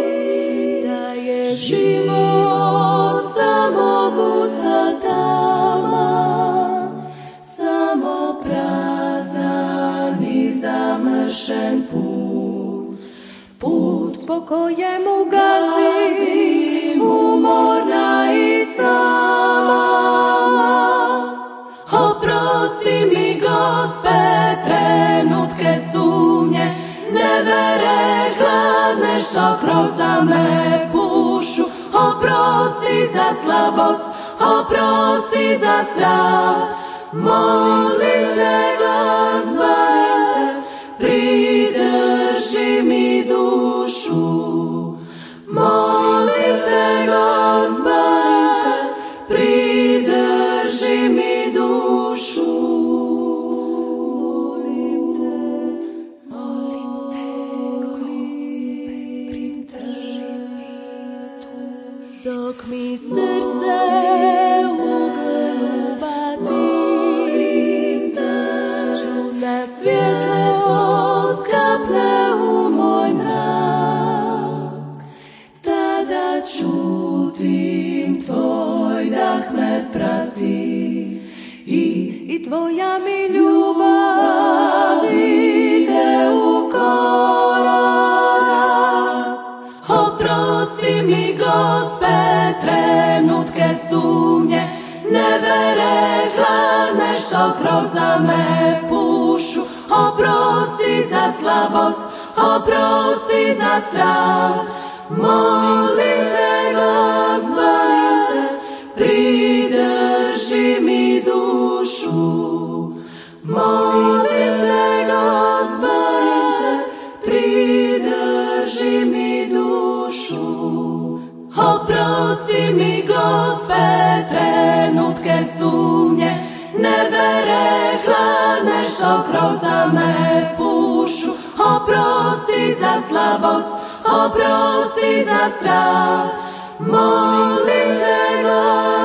da je život samo gusta tama, samo prazan i zamršen put, put po kojemu gazim umorna i sama. Oprosti mi, Gospe, trenutke sumnje, nevere hladne što kroz me pušu. Oprosti za slabost, oprosti za strah, molim te, Gospe, pridrži mi dušu. Molim te, Gospe, pridrži mi dušu. Dok mi srce u grlu bati, čudna svjetlost kapne u moj mrak, tada čutim tvoj dah me prati i tvoja mi ljubav ide u korak. Oprosti mi, Gospe, trenutke sumnje, nevere hladne što kroz me pušu. Oprosti za slabost, oprosti za strah, molim te, Gospe, pridrži mi dušu. Molim te, Gospe, pridrži mi dušu. Oprosti mi, Gospe, trenutke sumnje, nevere hladne što kroz me pušu. Oprosti za slabost, oprosti za strah, molim te, Gospe,